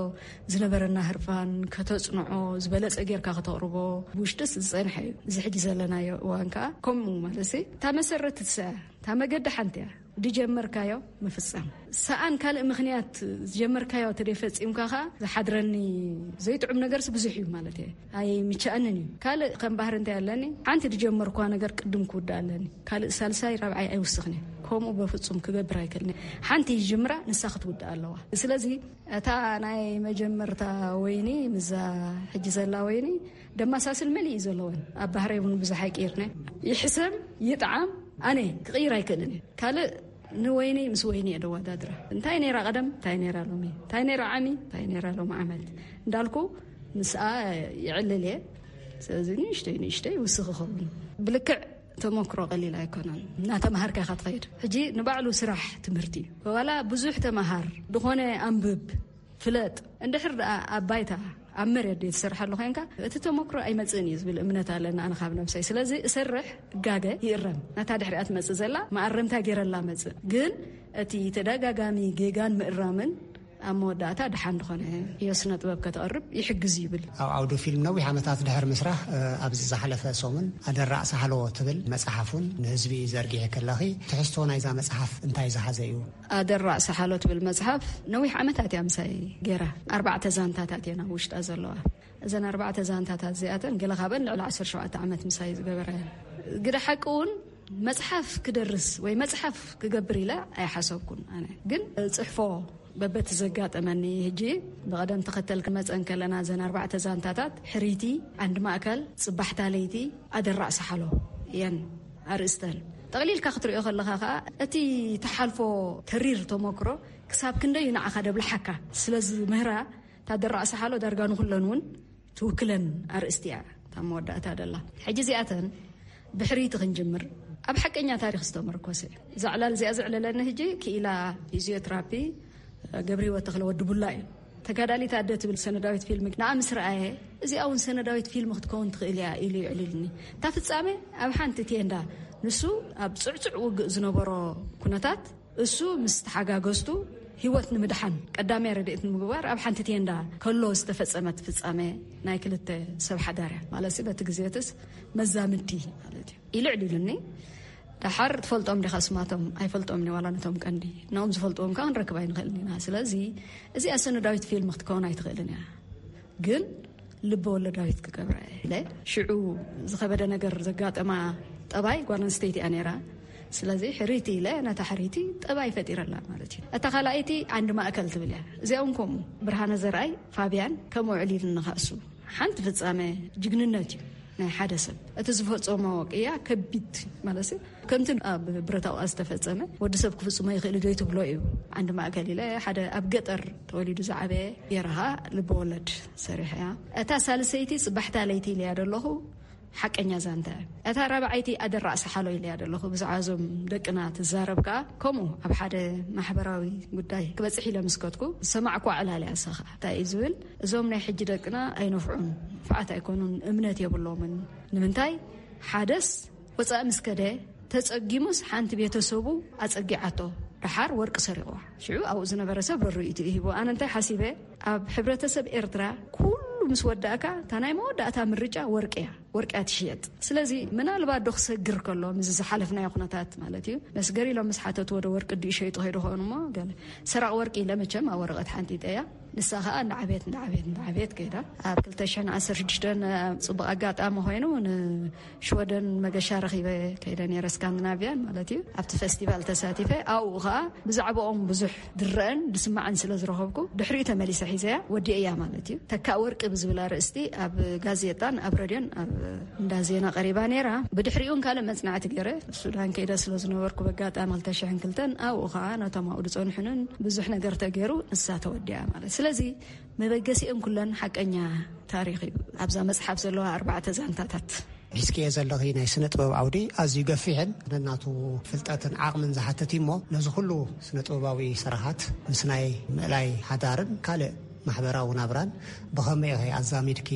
ዝነበረና ህርፋን ከተጽንዖ፣ ዝበለጸ ጌርካ ከተቕርቦ፣ ብውሽጥስ ዝጸንሐ እዩ። እዚ ሕጂ ዘለናዮ እዋን ከኣ ከምኡ ማለት እታ መሰረት ትስኣ፣ እታ መገዲ ሓንቲ እያ። ድጀመርካዮ ምፍጻም። ሰኣን ካልእ ምኽንያት ዝጀመርካዮ ተደይፈጺምካ ከኣ ዝሓድረኒ ዘይጥዑም ነገርስ ብዙሕ እዩ ማለት እየ። ኣይምችኣንን እዩ። ካልእ ከም ባህሪ እንታይ ኣለኒ? ሓንቲ ዝጀመርኳ ነገር ቅድም ክውዳእ ኣለኒ። ካልእ ሳልሳይ ራብዓይ ኣይውስኽን እየ። ከምኡ በፍጹም ክገብር ኣይክእልን እየ። ሓንቲ ይጅምራ፣ ንሳ ክትውዳእ ኣለዋ። ስለዚ እታ ናይ መጀመርታ ወይኒ ምስዛ ሕጂ ዘላ ወይኒ ደማሳስል መሊእ እዩ ዘለወን። ኣብ ባህረይ እውን ብዙሕ ኣይቅይርነ። ይሕሰም ይጥዓም ኣነ ክቕይር ኣይክእልን እየ። ካልእ ንወይኒ ምስ ወይኒ እየ ደወዳድራ። እንታይ ነይራ ቀደም፣ እንታይ ነይራ ሎሚ፣ እንታይ ነይራ ዓሚ፣ እንታይ ነይራ ሎሚ ዓመት እንዳልኩ ምስኣ ይዕልል እየ። ስለዚ ንእሽተይ ንእሽተይ ውስኽ ይኸውን። ብልክዕ ተመክሮ ቀሊል ኣይኮነን። እናተምሃርካ ኢኻ ትኸይድ። ሕጂ ንባዕሉ ስራሕ ትምህርቲ እዩ። ዋላ ብዙሕ ተምሃር፣ ዝኾነ ኣንብብ፣ ፍለጥ። እንድሕር ደኣ ኣብ ባይታ፣ ኣብ መሬት ደይ ትሰርሓሉ ኮይንካ፣ እቲ ተመክሮ ኣይመጽእን እዩ ዝብል እምነት ኣለና ኣነ ካብ ነብሰይ። ስለዚ እሰርሕ፣ እጋገ፣ ይእረም። ነታ ድሕሪኣ ትመጽእ ዘላ መኣረምታ ገይረላ መጽእ። ግን እቲ ተደጋጋሚ ጌጋን ምእራምን ኣብ መወዳእታ ደሓን ዝኾነ ህዮ ስነ ጥበብ ከተቕርብ ይሕግዝ ይብል። ኣብ ዓውዲ ፊልም ነዊሕ ዓመታት ድሕሪ ምስራሕ፣ እ፣ ኣብዚ ዝሓለፈ ሰሙን ኣደራዕ ሳሕሎ ትብል መጽሓፍ እውን ንህዝቢ ዘርጊሒ ከለኺ፣ ትሕዝቶ ናይዛ መጽሓፍ እንታይ ዝሓዘ እዩ? ኣደራዕ ሳሕሎ ትብል መጽሓፍ ነዊሕ ዓመታት እያ ምሳይ ገይራ። ኣርባዕተ ዛንታታት እየን ኣብ ውሽጣ ዘለዋ። እዘን ኣርባዕተ ዛንታታት እዚኣተን ገለ ካብአን ልዕሊ ዓሰርተ ሸውዓተ ዓመት ምሳይ ዝገበራ እየን። ግደ ሓቂ እውን መጽሓፍ ክደርስ ወይ መጽሓፍ ክገብር ኢለ ኣይሓሰብኩን። ኣነ ግን ጽሕፎ በበቲ ዘጋጠመኒ። ሕጂ ብቐደም ተኸተል ክመጸን ከለና፣ እዘን ኣርባዕተ ዛንታታት፣ ሕርይቲ፣ ዓንዲ ማእከል፣ ጽባሕታ ለይቲ፣ ኣደራዕ ሳሕሎ እየን ኣርእስተን። ጠቕሊልካ ክትሪኦ ከለኻ ከኣ፣ እቲ ተሓልፎ ተሪር ተመክሮ ክሳብ ክንደይ ንዓኻ ደብልሓካ ስለ ዝምህራ፣ እታ ኣደራዕ ሳሕሎ ዳርጋ ንኹለን እውን ትውክለን ኣርእስቲ እያ፣ እታ መወዳእታ ደላ። ሕጂ እዚኣተን ብሕርይቲ ክንጅምር፣ ኣብ ሓቀኛ ታሪኽ ዝተመርኮሰ እዩ። እዛ ዕላል እዚኣ ዘዕለለኒ ሕጂ ክኢላ ፊዚዮትራፒ ገብረ ህይወት ተኽለ ወዲ ቡላ እዩ። ተጋዳሊት ኣደ ትብል ሰነዳዊት ፊልም ንዓ ምስ ረኣየ፣ እዚኣ እውን ሰነዳዊት ፊልም ክትከውን ትኽእል እያ ኢሉ ይዕልልኒ። እታ ፍጻሜ ኣብ ሓንቲ ቴንዳ፣ ንሱ ኣብ ጽዕጹዕ ውግእ ዝነበሮ ኩነታት፣ እሱ ምስ ተሓጋገዝቱ ህይወት ንምድሓን ቀዳምያ ረድኤት ንምግባር ኣብ ሓንቲ ቴንዳ ከሎ ዝተፈጸመት ፍጻሜ ናይ ክልተ ሰብ ሓዳር እያ። ማለት ሲ በቲ ግዜትስ መዛምድቲ ማለት እዩ። ኢሉ ዕሊሉኒ። ደሓር ትፈልጦም ዲኻ ስማቶም? ኣይፈልጦም እየ፣ ዋላ ነቶም ቀንዲ። ንኦም ዝፈልጥዎም ከኣ ክንረክብ ኣይንኽእልን ኢና። ስለዚ እዚኣ ሰነዳዊት ፊልም ክትከውን ኣይትኽእልን እያ። ግን ልበ ወለዳዊት ክገብራ እየ ኢለ። ሽዑ ዝኸበደ ነገር ዘጋጠማ ጠባይ ጓል ኣንስተይቲ እያ ነይራ። ስለዚ ሕሪቲ ኢለ ነታ ሕሪቲ ጠባይ ፈጢረላ ማለት እዩ። እታ ካልኣይቲ ዓንዲ ማእከል ትብል እያ። እዚኦም ከምኡ ብርሃነ ዘርኣይ ፋብያን ከምኡ ዕሊል ንኻእሱ ሓንቲ ፍጻመ ጅግንነት እዩ ናይ ሓደ ሰብ። እቲ ዝፈጸሞ ቅያ ከቢድ ማለት እዩ። ከምቲ ኣብ ብረታዊ ዝተፈጸመ ወዲ ሰብ ክፍጽሞ ይኽእል ዶ ትብሎ እዩ። ዓንዲ ማእከል ኢለ ሓደ ኣብ ገጠር ተወሊዱ ዝዓበየ የረኻ ልበወለድ ሰሪሐ እያ። እታ ሳልሰይቲ ጽባሕታ ለይቲ ኢለያ ደለኹ ሓቀኛ ዛንታ እያ። እታ ራብዓይቲ ኣደራዕ ሰሓሎ ኢለያ ደለኹ ብዛዕባ እዞም ደቅና ትዛረብ ከኣ ከምኡ ኣብ ሓደ ማሕበራዊ ጉዳይ ክበጽሕ ኢለ ምስ ከድኩ ዝሰማዕኩ ዕላል እያ። እሳ ኸኣ እንታይ እዩ ዝብል፣ እዞም ናይ ሕጂ ደቅና ኣይነፍዑን፣ ንፉዓት ኣይኮኑን፣ እምነት የብሎምን። ንምንታይ? ሓደስ ወጻኢ ምስ ከደ ተጸጊሙስ ሓንቲ ቤተሰቡ ኣጸጊዓቶ፣ ደሓር ወርቂ ሰሪቕዋ። ሽዑ ኣብኡ ዝነበረ ሰብ ርርኢቱ ይሂቦ። ኣነ እንታይ ሓሲበ፣ ኣብ ሕብረተሰብ ኤርትራ ኩሉ ምስ ወዳእካ እታ ናይ መወዳእታ ምርጫ ወርቂ እያ። ወርቂ እያ ትሽየጥ። ስለዚ ምናልባት ዶ ክሰግር ከሎ ምስ ዝሓለፍናዮ ኩነታት ማለት እዩ፣ መስገር ኢሎም ምስ ሓተትዎ ዶ ወርቂ ድዩ ሸይጡ ከይዱ ኸውን እሞ ገለ ሰራቕ ወርቂ ኢለ መቸም ኣብ ወረቐት ሓንጢጠያ። ንሳ ኸኣ እንዳዓብየት እንዳዓብየት እንዳዓብየት ከይዳ ኣብ ክልተ ሽሕን ዓሰርተ ሽዱሽተን ጽቡቕ ኣጋጣሚ ኮይኑ ንሽወደን መገሻ ረኺበ ከይደ ነይረ፣ ስካንዲናቪያን ማለት እዩ። ኣብቲ ፈስቲቫል ተሳቲፈ ኣብኡ ኸኣ ብዛዕባኦም ብዙሕ ድረአን ድስማዕን ስለ ዝረኸብኩ ድሕሪኡ ተመሊሰ ሒዘያ ወዲእያ ማለት እዩ። ተካእ ወርቂ ብዝብላ ርእስቲ ኣብ ጋዜጣን ኣብ ረድዮን ኣብ እንዳ ዜና ቀሪባ ነይራ። ብድሕሪኡን ካልእ መጽናዕቲ ገይረ ሱዳን ከይደ ስለ ዝነበርኩ በጋጣሚ ክልተ ሽሕን ክልተን ኣብኡ ኸኣ ነቶም ኣብኡ ዝጸንሑንን ብዙሕ ነገር ተገይሩ ንሳ ተወዲኣ ማለት። ስለዚ መበገሲኦም ኩለን ሓቀኛ ታሪኽ እዩ። ኣብዛ መጽሓፍ ዘለዋ ኣርባዕተ ዛንታታት ሒዝክዮ ዘለኺ ናይ ስነ ጥበብ ዓውዲ ኣዝዩ ገፊሕን ነናቱ ፍልጠትን ዓቕምን ዝሓትት እዩ እሞ ነዚ ኩሉ ስነ ጥበባዊ ስራሓት ምስ ናይ ምእላይ ሓዳርን ካልእ ማሕበራዊ ናብራን ብኸመይ ኢኺ ኣዛሚድኪ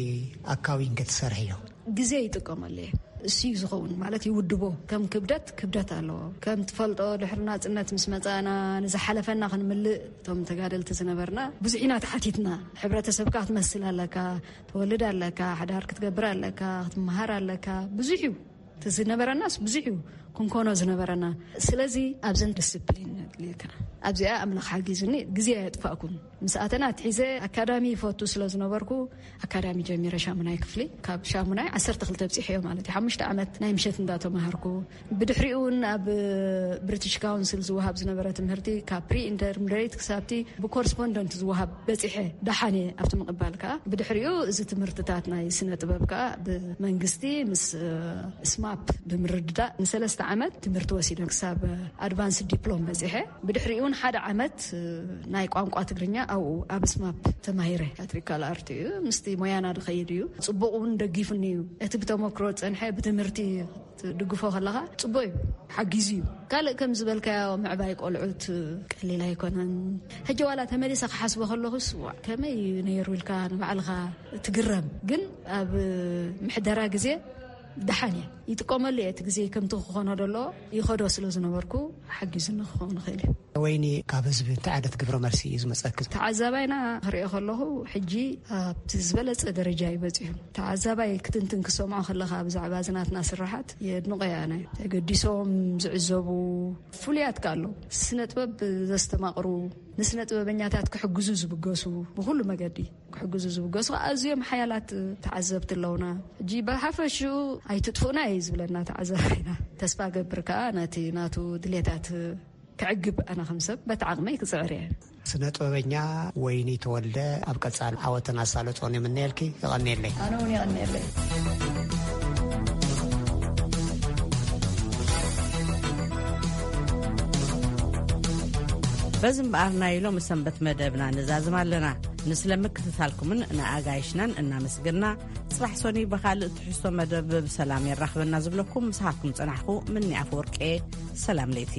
ኣካዊንኪ ትሰርሕዮ? ግዜ ይጥቀመሉ እየ። እሱ እዩ ዝኸውን ማለት ይውድቦ። ከም ክብደት ክብደት ኣለዎ። ከም ትፈልጦ ድሕሪ ናጽነት ምስ መጻና ንዝሓለፈና ክንምልእ እቶም ተጋደልቲ ዝነበርና ብዙሕ ኢና ተሓቲትና። ሕብረተሰብካ ክትመስል ኣለካ፣ ትወልድ ኣለካ፣ ሓዳር ክትገብር ኣለካ፣ ክትመሃር ኣለካ። ብዙሕ እዩ። እቲ ዝነበረናስ ብዙሕ እዩ ክንኮኖ ዝነበረና። ስለዚ ኣብዘን ዲስፕሊን ነድልየካ። ኣብዚኣ ኣምላኽ ሓጊዙኒ ግዜ ኣየጥፋእኩን። ምስ ኣተና ኣትሒዘ ኣካዳሚ ይፈቱ ስለ ዝነበርኩ ኣካዳሚ ጀሚረ ሻሙናይ ክፍሊ። ካብ ሻሙናይ ዓሰርተ ክልተ ኣብጺሐዮ ማለት እዩ። ሓሙሽተ ዓመት ናይ ምሸት እንዳተማሃርኩ ብድሕሪኡ እውን ኣብ ብሪቲሽ ካውንስል ዝወሃብ ዝነበረ ትምህርቲ ካብ ፕሪ ኢንተርሚዲየት ክሳብቲ ብኮረስፖንደንት ዝወሃብ በጺሐ ደሓነ ኣብቲ ምቕባል ከኣ ብድሕሪኡ እዚ ትምህርትታት ናይ ስነ ጥበብ ከኣ ብመንግስቲ ምስ ስማፕ ብምርድዳእ ንሰለስተ ዓመት ትምህርቲ ወሲደ ክሳብ ኣድቫንስ ዲፕሎም በጺሐ። ብድሕሪኡ እውን ሓደ ዓመት ናይ ቋንቋ ትግርኛ ኣብኡ ኣብ ስማፕ ተማሂረ። ካትሪካል ኣርት እዩ ምስቲ ሞያና ዝኸይድ እዩ። ጽቡቕ እውን ደጊፉኒ እዩ። እቲ ብተመክሮ ዝጸንሐ ብትምህርቲ ትድግፎ ከለኻ ጽቡቕ እዩ፣ ሓጊዙ እዩ። ካልእ ከም ዝበልካዮ ምዕባይ ቆልዑት ቀሊል ኣይኮነን። ሕጂ ዋላ ተመሊሰ ክሓስቦ ከለኹስ ዋዕ ከመይ እዩ ነይሩ ኢልካ ንባዕልኻ ትግረም። ግን ኣብ ምሕደራ ግዜ ደሓን እየ ይጥቀመሉ እየ። እቲ ግዜ ከምቲ ክኾኖ ደሎ ይኸዶ ስለ ዝነበርኩ ሓጊዙኒ ክኸውን ይኽእል እዩ። ወይኒ ካብ ህዝቢ እንታይ ዓይነት ግብረ መልሲ እዩ ዝመጸኪ? ተዓዛባይና ክሪኦ ከለኹ ሕጂ ኣብቲ ዝበለጸ ደረጃ እዩ በጺሑ። ተዓዛባይ ክትንትን ክሰምዖ ከለኻ ብዛዕባ ዝናትና ስራሓት የድንቆ እየ ኣነ። ተገዲሶም ዝዕዘቡ ፍሉያት ከ ኣለዉ። ስነ ጥበብ ዘስተማቕሩ፣ ንስነ ጥበበኛታት ክሕግዙ ዝብገሱ፣ ብኹሉ መገዲ ክሕግዙ ዝብገሱ ኣዝዮም ሓያላት ተዓዘብቲ ኣለውና። ሕጂ ብሓፈሽኡ ኣይትጥፉእና እዩ ዝብለና ተዓዛባይና። ተስፋ ገብር ከኣ ነቲ ናቱ ድሌታት ክዕግብ ኣነ ከም ሰብ በቲ ዓቕመይ ክጽዕር እየ። ስነ ጥበበኛ ወይኒ ተወልደ ኣብ ቀጻሊ ዓወትን ኣሳልጦን ይምነየልኪ። የቐንየለይ። ኣነ እውን የቐንየለይ። በዚ እምበኣር ናይ ሎሚ ሰንበት መደብና ንዛዝም ኣለና። ንስለ ምክትታልኩምን ንኣጋይሽናን እናመስገና፣ ጽባሕ ሰኑይ ብኻልእ ትሕዝቶ መደብ ብሰላም የራኽበና ዝብለኩም ምሳኻትኩም ጸናሕኩ ምኒ ኣፈወርቂ። ሰላም ለይቲ።